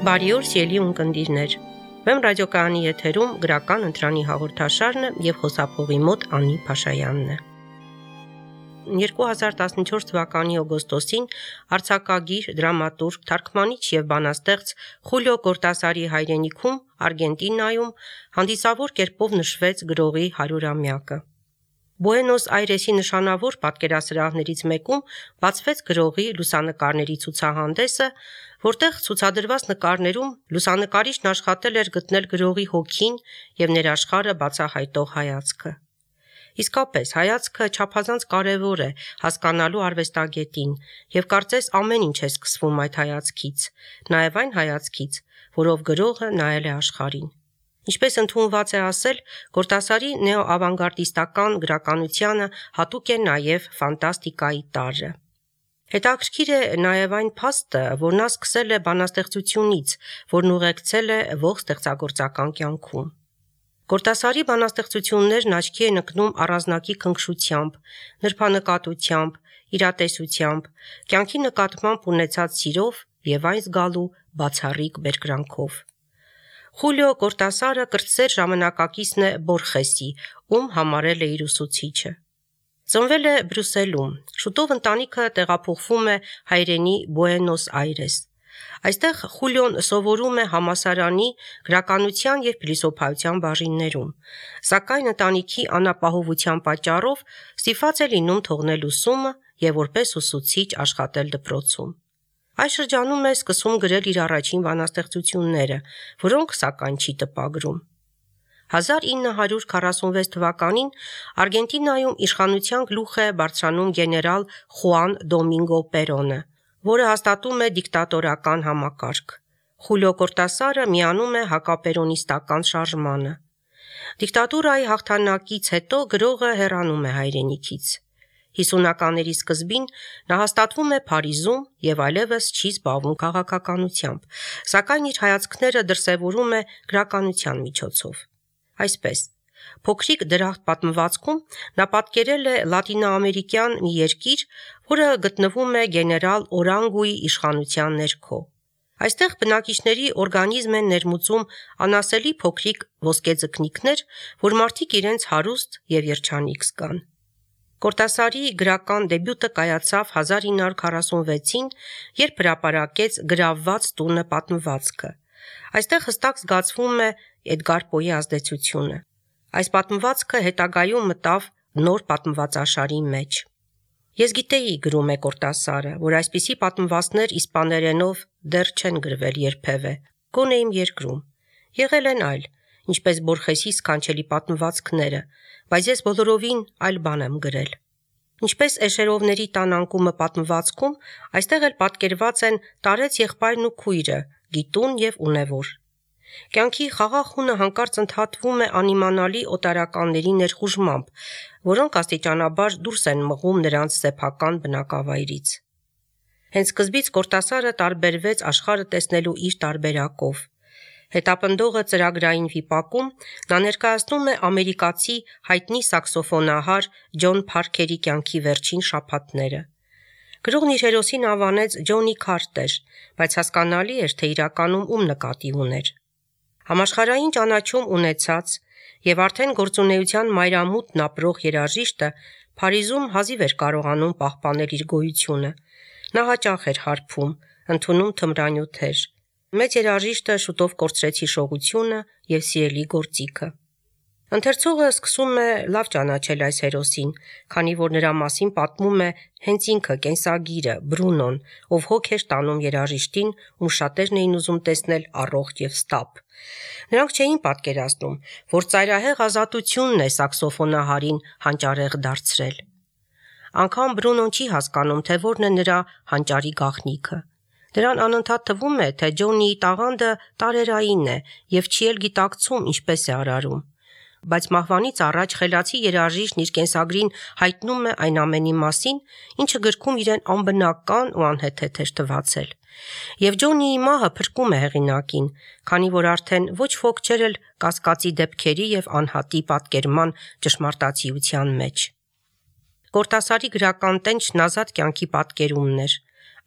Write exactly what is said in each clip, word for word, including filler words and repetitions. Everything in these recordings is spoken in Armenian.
Բարի օր, սիրելի ունկնդիրներ։ Վեմ ռադիոկայանի եթերում գրական ընտրանի հաղորդաշարն է եւ խոսափողի մոտ Անի Փաշայանն է։ երկու հազար տասնչորս թվականի օգոստոսին արձակագիր, դրամատուրգ, թարգմանիչ եւ բանաստեղծ Խուլիո Կորտասարի հայրենիքում Արգենտինայում հանդիսավոր կերպով նշվեց գրողի հարյուրամյակը։ Բուենոս Այրեսի նշանավոր պատկերասրահներից մեկում բացվեց գրողի լուսանկարների ցուցահանդեսը, որտեղ ցուցադրված նկարներում լուսանկարիչն աշխատել էր գտնել գրողի հոգին եւ ներաշխարհը բացահայտող հայացքը։ Իսկապես, հայացքը չափազանց կարևոր է հասկանալու արվեստագետին եւ կարծես ամեն ինչ է սկսվում այդ հայացքից, նաեւ այն հայացքից, որով գրողը նայել է աշխարհին։ Ինչպես ընդունված է ասել, Կորտասարի նեոավանգարդիստական գրականությանը հատուկ է նաև ֆանտաստիկայի տարրը։ Հետաքրքիր է նաև այն փաստը, որ նա սկսել է բանաստեղծությունից, որն ուղեկցել է ողջ ստեղծագործական կյանքում։ Կորտասարի բանաստեղծություններն աչքի են ընկնում առանձնակի քնքշությամբ, նրբանկատությամբ, իրատեսությամբ, կյանքի նկատմամբ ունեցած սիրով եւ այն զգալու բացառիկ բերկրանքով։ Խուլիո Կորտասարը կրտսեր ժամանակակիցն է Բորխեսի, ում համարել է իր ուսուցիչը։ Ծնվել է Բրյուսելում, շուտով ընտանիքը տեղափոխվում է հայրենի Բուենոս Այրես։ Այստեղ Խուլիոն սովորում է համալսարանի գրականության եւ փիլիսոփայության բաժիններում, սակայն ընտանիքի անապահովության պատճառով ստիպված է լինում թողնել ուսումը եւ որպես ուսուցիչ աշխատել դպրոցում։ Այս շրջանում է սկսում գրել իր առաջին բանաստեղծությունները, որոնք սակայն չի տպագրում։ հազար ինը հարյուր քառասունվեց թվականին Արգենտինայում իշխանության գլուխ է բարձրանում գեներալ Խուան Դոմինգո Պերոնը, որը հաստատում է դիկտատորական համակարգ։ Խուլիո Կորտասարը միանում է հակապերոնիստական շարժմանը։ Դիկտատուրայի հաղթանակից հետո գրողը հեռանում է հայրենիքից։ հիսունականների սկզբին նա հաստատվում է Փարիզում եւ այլևս չի զբաղվում քաղաքականությամբ, սակայն իր հայացքները դրսևորում է գրականության միջոցով։ Այսպես, Փոքրիկ դրախտ պատմվածքում նա պատկերել է լատինոամերիկյան մի երկիր, որը գտնվում է գեներալ Օրանգուի իշխանության ներքո։ Այստեղ բնակիչների օրգանիզմ են ներմուծում անասելի փոքրիկ ոսկեձկնիկներ, որ մարդիկ իրենց հարուստ եւ երջանիկ զգան։ Կորտասարի գրական դեբյուտը կայացավ հազար ինը հարյուր քառասունվեցին, երբ հրապարակեց Գրավված տունը պատմվածքը։ Այստեղ հստակ զգացվում է Էդգար Պոյի ազդեցությունը։ Այս պատմվածքը հետագայում մտավ նոր պատմվածաշարի մեջ։ Ես գիտեի, գրում է Կորտասարը, որ այսպիսի պատմվածքներ իսպաներենով դեռ չեն գրվել երբևէ, գոնե իմ երկրում։ Եղել են այլ, ինչպես Բորխեսի սքանչելի պատմվածքները, բայց ես բոլորովին այլ բան եմ գրել։ Ինչպես Էշերովների տան անկումը պատմվածքում, այստեղ էլ պատկերված են տարեց եղբայրն ու քույրը, գիտուն եւ ունևոր։ Կյանքի խաղաղ հունը հանկարծ ընդհատվում է անիմանալի օտարականների ներխուժմամբ, որոնք աստիճանաբար դուրս են մղում նրանց սեփական բնակավայրից։ Հենց սկզբից Կորտասարը տարբերվեց աշխարհը տեսնելու իր տարբերակով։ Հետապնդողը ծրագրային վիպակում նա ներկայացնում է ամերիկացի հայտնի սաքսոֆոնահար Ջոն Փարքերի կյանքի վերջին շաբաթները։ Գրողն իր հերոսին անվանեց Ջոնի Քարտեր, բայց հասկանալի էր, թե իրականում ում նկատի ուներ։ Համաշխարհային ճանաչում ունեցած եւ արդեն գործունեության մայրամուտն ապրող երաժիշտը Փարիզում հազիվ էր կարողանում պահպանել իր գոյությունը։ Նա հաճախ էր հարբում, ընդունում թմրանյութեր։ Մեծ երաժիշտը շուտով կորցրեց հիշողությունը եւ սիրելի գործիքը։ Ընթերցողը սկսում է լավ ճանաչել այս հերոսին, քանի որ նրա մասին պատմում է հենց ինքը կենսագիրը Բրունոն, ով հոգ էր տանում երաժիշտին, ում շատերն էին ուզում տեսնել առողջ եւ ստապ։ Նրանք չէին պատկերացնում, որ ծայրահեղ ազատությունն է սաքսոֆոնահարին հանճարեղ դարձրել։ Անկամ Բրունոն չի հասկանում, թե որն է նրա հանճարի գաղտնիքը։ Նրան անընդհատ թվում է, թե Ջոնիի տաղանդը տարերային է եւ չի էլ գիտակցում ինչպես է արարում։ Բայց մահվանից առաջ խելացի երաժիշտն իր կենսագրին հայտնում է այն ամենի մասին, ինչը գրքում իրեն անբնական ու անհեթեթ էր թվացել։ Եվ Ջոնիի մահը փրկում է հեղինակին, քանի որ արդեն ոչ ոք չէր էլ կասկածի դեպքերի եւ անհատի պատկերման ճշմարտացիության մեջ։ Կորտասարի գրական տենչն ազատ կյանքի պատկերումն էր։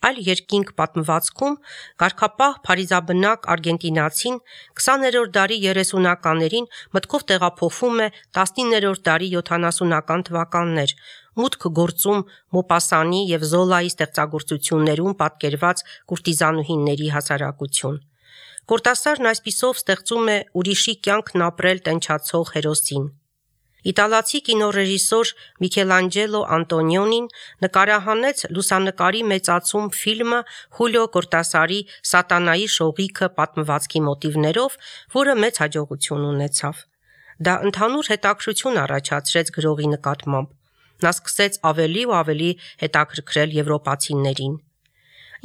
Այլ երկինք պատմվածքում կարգապահ փարիզաբնակ արգենտինացին քսաներորդ դարի երեսունականներին մտքով տեղափոխվում է տասնիններորդ դարի յոթանասունական թվականներ, մուտք գործում Մոպասանի եւ Զոլայի ստեղծագործություններում պատկերված կուրտիզանուհիների հասարակություն։ Կորտասարն այսպիսով ստեղծում է ուրիշի կյանքն ապրել տենչացող հերոսին։ Իտալացի կինոռեժիսոր Միքելանջելո Անտոնիոնին նկարահանեց լուսանկարի մեծացում ֆիլմը Խուլիո Կորտասարի «Սատանայի շողիքը» պատմվածքի մոտիվներով, որը մեծ հաջողություն ունեցավ։ Դա ընդհանուր հետաքրքրություն առաջացրեց գրողի նկատմամբ։ Նա սկսեց ավելի ու ավելի հետաքրքրել եվրոպացիներին։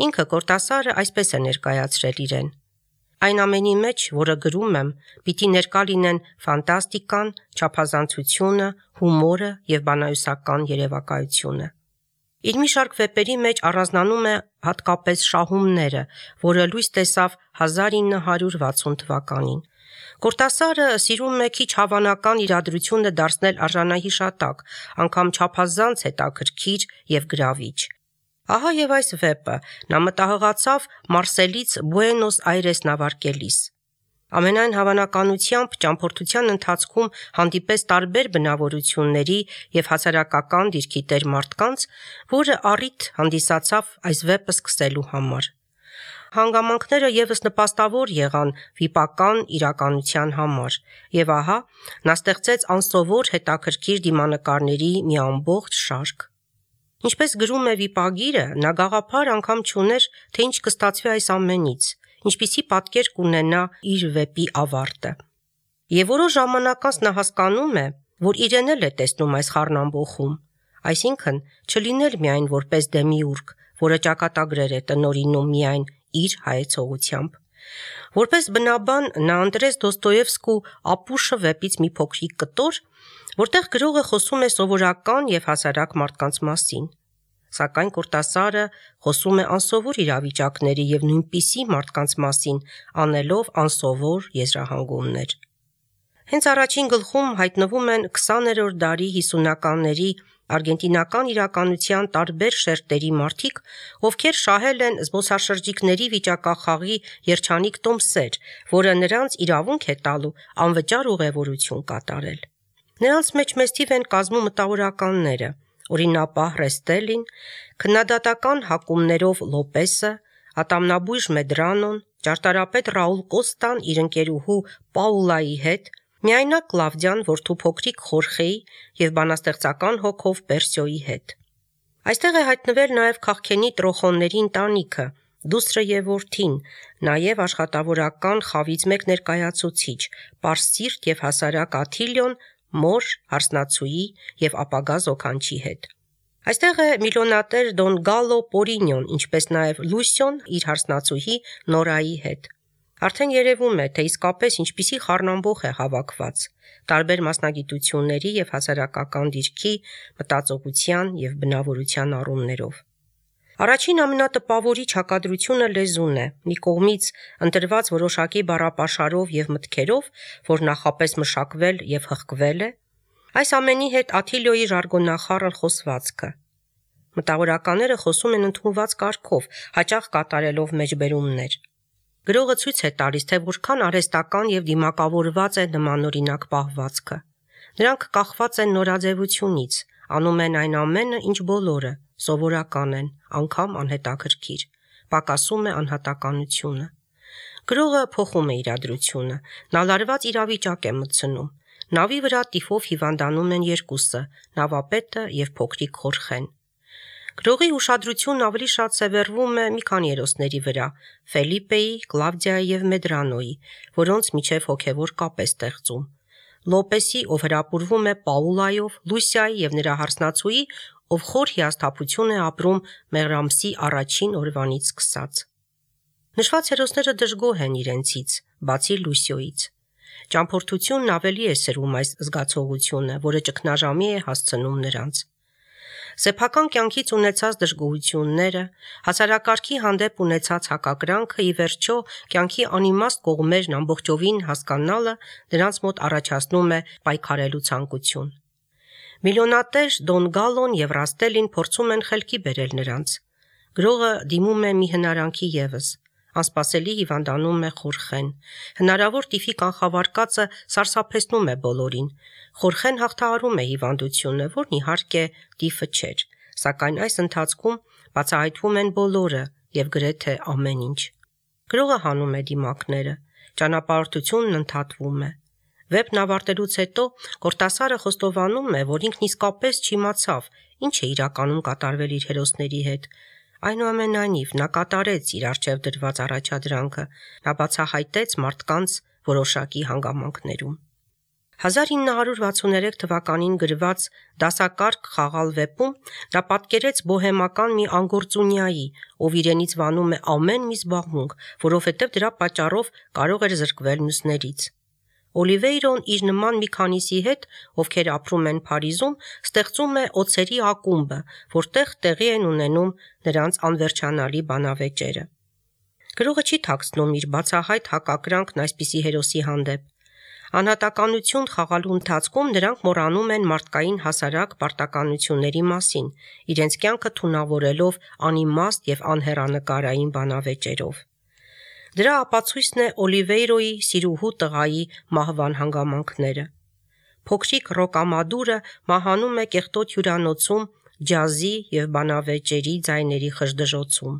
Ինքը Կորտասարը այսպես է ներկայացրել իրեն. Այն ամենի մեջ, որը գրում եմ, պիտի ներկա լինեն ֆանտաստիկան, չափազանցությունը, հումորը եւ բանահյուսական երևակայությունը։ Իր մի շարք վեպերի մեջ առանձնանում է հատկապես շահումները, որը լույս տեսավ հազար ինը հարյուր վաթսուն թվականին։ Կորտասարը սիրում է քիչ հավանական իրադրությունը դարձնել արժանահիշատակ, անգամ չափազանց հետաքրքիր եւ գրավիչ։ Ահա եւ այս վեպը նա մտահղացավ Մարսելից Բուենոս Այրես նավարկելիս։ Ամենայն հավանականությամբ ճամփորդության ընթացքում հանդիպես տարբեր բնավորությունների եւ հասարակական դիրքի տեր մարդկանց, որը առիթ հանդիսացավ այս վեպը սկսելու համար։ Հանգամանքները եւս նպաստավոր եղան վիպական իրականության համար, եւ ահա նա ստեղծեց անսովոր հետաքրքիր դիմանկարների մի ամբողջ շարք։ Ինչպես գրում է վիպագիրը, նա գաղափար անգամ չուներ, թե ինչ կստացվի այս ամենից, ինչպիսի պատկեր կունենա իր վեպի ավարտը։ Եվ որոշ ժամանակ անց նա հասկանում է, որ իրեն էլ է տեսնում այս խառնամբոխում, այսինքն չլինել միայն որպես դեմիուրգ, որը ճակատագրեր է տնօրինում միայն իր հայեցողությամբ։ Որպես բնաբան նա ընտրեց Դոստոևսկու Ապուշը վեպից մի փոքրիկ կտոր, որտեղ գրողը խոսում է սովորական եւ հասարակ մարդկանց մասին։ Սակայն Կորտասարը խոսում է անսովոր իրավիճակների եւ նույնպիսի մարդկանց մասին, անելով անսովոր եզրահանգումներ։ Հենց առաջին գլխում հայտնվում են քսաներորդ դարի հիսունականների արգենտինական իրականության տարբեր շերտերի մարդիկ, ովքեր շահել են զբոսաշրջիկների վիճակախաղի երջանիկ տոմսեր, որը նրանց իրավունք է տալու անվճար ուղևորություն կատարել։ Նրանց մեջ մեծ թիվ են կազմում մտավորականները, օրինապահ Ռեստելին, քննադատական հակումներով Լոպեսը, ատամնաբույժ Մեդրանոն, ճարտարապետ Ռաուլ Կոստան իր ընկերուհու Պաուլայի հետ, միայնակ Կլավդիան որդու փոքրիկ Խորխեի եւ բանաստեղծական հոգով Պերսիոյի հետ։ Այստեղ է հայտնվել նաեւ քաղքենի տրոխոնների ընտանիքը, դուստրը եւ որդին, նաեւ աշխատավորական խավից մեկ ներկայացուցիչ, պարսիրտ եւ հասարակ Աթիլիոն, մոր, հարսնացուի եւ ապագա զոքանչի հետ։ Այստեղ է միլիոնատեր Դոն Գալո Պորինյոն, ինչպես նաեւ Լուսիոն իր հարսնացուհի Նորայի հետ։ Արդեն երևում է, թե իսկապես ինչպիսի խառնամբոխ է հավաքված տարբեր մասնագիտությունների եւ հասարակական դիրքի, մտածողության եւ բնավորության առումներով։ Առաջին ամենատպավորիչ հակադրությունը լեզուն է, մի կողմից ընտրված որոշակի բառապաշարով եւ մտքերով, որ նախապես մշակվել եւ հղկվել է, այս ամենի հետ Աթիլիոյի ժարգոնախառն խոսվածքը։ Մտավորականները խոսում են ընդունված կարգով, հաճախ կատարելով մեջբերումներ։ Գրողը ցույց է տալիս, թե որքան արհեստական եւ դիմակավորված է նմանօրինակ պահվածքը։ Նրանք կախված են նորաձևությունից, անում են այն ամենը, ինչ բոլորը, սովորական են, անգամ անհետաքրքիր, պակասում է անհատականությունը։ Գրողը փոխում է իրադրությունը, նա լարված իրավիճակ է մտցնում։ Նավի վրա տիֆով հիվանդանում են երկուսը, նավապետը եւ փոքրիկ Խորխեն։ Գրողի ուշադրությունն ավելի շատ սևեռվում է մի քանի հերոսների վրա՝ Ֆելիպեի, Կլավդիայի եւ Մեդրանոյի, որոնց միջև հոգեվոր կապ է ստեղծում։ Լոպեսի, ով հրապուրվում է Պաուլայով, Լուսիայի եւ նրա հարսնացուի, ով խոր հիասթափություն է ապրում Մեղրամսի առաջին օրվանից սկսած։ Նշված հերոսները դժգոհ են իրենցից, բացի Լուսիոյից։ Ճամփորդությունն ավելի է սրում այս զգացողությունը, որը ճգնաժամի է հասցնում նրանց։ Սեփական կյանքից ունեցած դժգոհությունները, հասարակարգի հանդեպ ունեցած հակակրանքը ի վերջո կյանքի անիմաստ կողմերն ամբողջովին հասկանալը նրանց մոտ առաջացնում է պայքարելու ցանկություն։ Միլիոնատեր Դոն Գալոն եւ Ռաստելին փորձում են խելքի բերել նրանց։ Գրողը դիմում է մի հնարանքի ևս։ Անսպասելի հիվանդանում է Խորխեն։ Հնարավոր տիֆի կանխավարկածը սարսափեցնում է բոլորին։ Խորխեն հաղթահարում է հիվանդությունը, որն իհարկե տիֆը չէր, սակայն այս ընթացքում բացահայտվում են բոլորը եւ գրեթե ամեն ինչ։ Գրողը հանում է դիմակները, ճանապարհորդությունն ընդհատվում է։ Վեպն ավարտելուց հետո Կորտասարը խոստովանում է, որ ինքն իսկապես չիմացավ, ինչ է իրականում կատարվել իր հերոսների հետ։ Այնուամենայնիվ, նա կատարեց իր առջև դրված առաջադրանքը, նա բացահայտեց մարդկանց որոշակի հանգամանքներում։ հազար ինը հարյուր վաթսուներեք թվականին գրված «Դասակարգ խաղալ» վեպում նա պատկերեց բոհեմական մի անգործունյայի, ով իրենից վանում է ամեն մի զբաղմունք, որովհետև դրա պատճառով կարող էր զրկվել մյուսներից։ Օլիվեյրոն իր նման մի քանիսի հետ, ովքեր ապրում են Փարիզում, ստեղծում է օձերի ակումբը, որտեղ տեղի են ունենում նրանց անվերջանալի բանավեճերը։ Գրողը չի թաքցնում իր բացահայտ հակակրանքն այսպիսի հերոսի հանդեպ։ Անհատականություն խաղալու ընթացքում նրանք մոռանում են մարդկային հասարակ պարտականությունների մասին, իրենց կյանքը թունավորելով անիմաստ եւ անհեռանկարային բանավեճերով։ Դրա ապացույցն է Օլիվեյրոյի սիրուհու տղայի մահվան հանգամանքները։ Փոքրիկ Ռոկամադուրը մահանում է կեղտոտ հյուրանոցում ջազի եւ բանավեճերի ձայների խժդժոցում։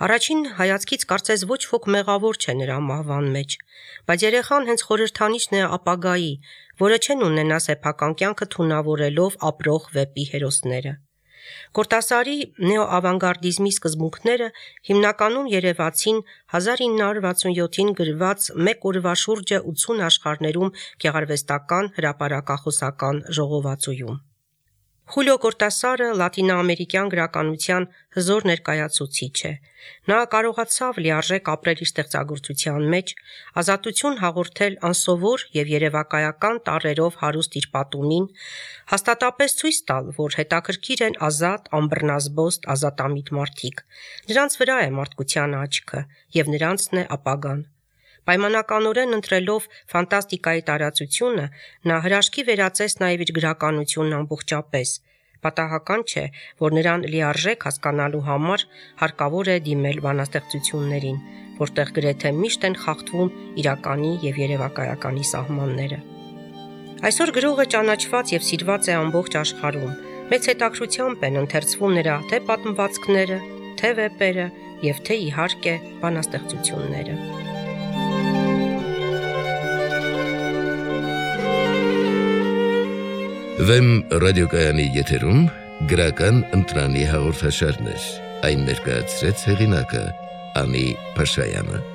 Առաջին հայացքից կարծես ոչ ոք մեղավոր չէ նրա մահվան մեջ, բայց երեխան հենց խորհրդանիշն է ապագայի, որը չեն ունենա սեփական կյանքը թունավորելով ապրող վեպի հերոսները։ Կորտասարի նեոավանգարդիզմի սկզբունքները հիմնականում երևացին հազար ինը հարյուր վաթսունյոթին գրված «Մեկ օրվա շուրջը ութսուն աշխարհներում» գեղարվեստական հրապարակախոսական ժողովածուում։ Խուլիո Կորտասարը լատինոամերիկյան գրականության հզոր ներկայացուցիչ է։ Նա կարողացավ լիարժեք ապրել իր ստեղծագործության մեջ, ազատություն հաղորդել անսովոր եւ երևակայական տառերով հարուստ իր պատումին, հաստատապես ցույց տալ, որ հետաքրքիր են ազատ, անբռնազբոստ, ազատամիտ մարդիկ։ Նրանց վրա է մարդկության աչքը եւ նրանցն է ապագան։ Պայմանականորեն ընտրելով ֆանտաստիկայի տարածությունը, նա հրաշքի վերածեց նաև իր գրականությունն ամբողջապես։ Պատահական չէ, որ նրան լիարժեք հասկանալու համար հարկավոր է դիմել բանաստեղծություններին, որտեղ գրեթե միշտ են խախտվում իրականի եւ երևակայականի սահմանները։ Այսօր գրողը ճանաչված եւ սիրված է ամբողջ աշխարհում։ Մեծ հետաքրքրությամբ են ընթերցվում նրա թե պատմվածքները, թե վեպերը եւ թե իհարկե բանաստեղծությունները։ Վեմ ռադիոկայանի եթերում գրական ընտրանի հաղորդաշարներ, այն ներկայացրեց հեղինակը Անի Փաշայանը։